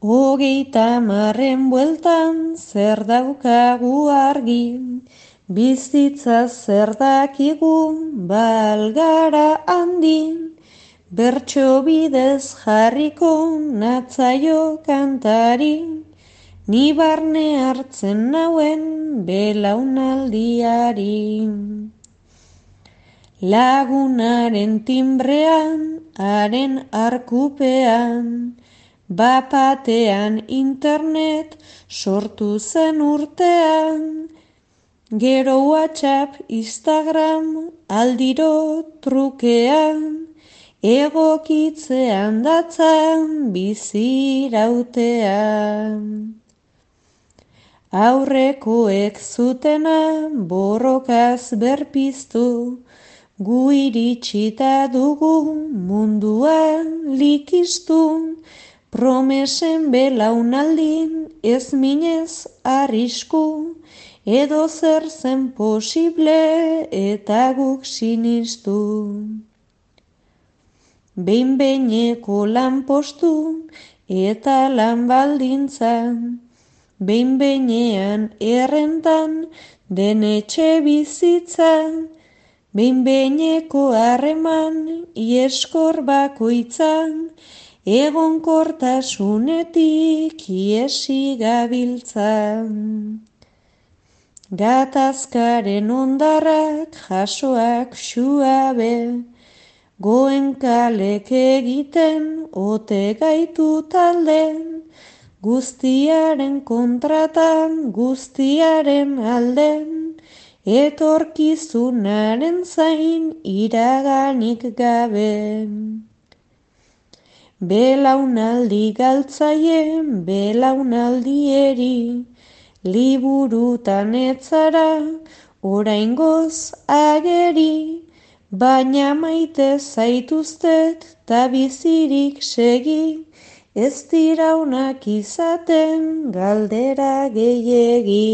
30 bueltan zer daukagu argi, bizitza zer dakigu balgara handin, bertso bidez jarriko natzaio kantari, ni barne hartzen nauen belaunaldiari. Lagunaren timbrean, haren arkupean, bapatean internet sortu zen urtean, gero WhatsApp, Instagram, aldiro trukean, egokitzean datzan bizirautean. Aurrekoek zutena borrokaz berpiztu, gu iritsita dugu munduan likiztu, promesen belaunaldin ez minez arrisku, edo zer zen posible eta guk sinistu. Behin-behineko lanpostu eta lan baldintzan, behin-behinean errentan den etxe bizitzan, behin-behineko harreman ieskor bakoitzan, egonkortasunetik iesi gabiltzan. Gatazkaren ondarrak jasoak xuabe, Goenkalek egiten ote gaitu talden, guztiaren kontratan, guztiaren alden, etorkizunaren zain iraganik gabe. Belaunaldi galtzaien belaunaldieri, liburutan etzara oraingoz ageri, baina maite zaituztet ta bizirik segi, ez dira onak izaten galdera gehiegi.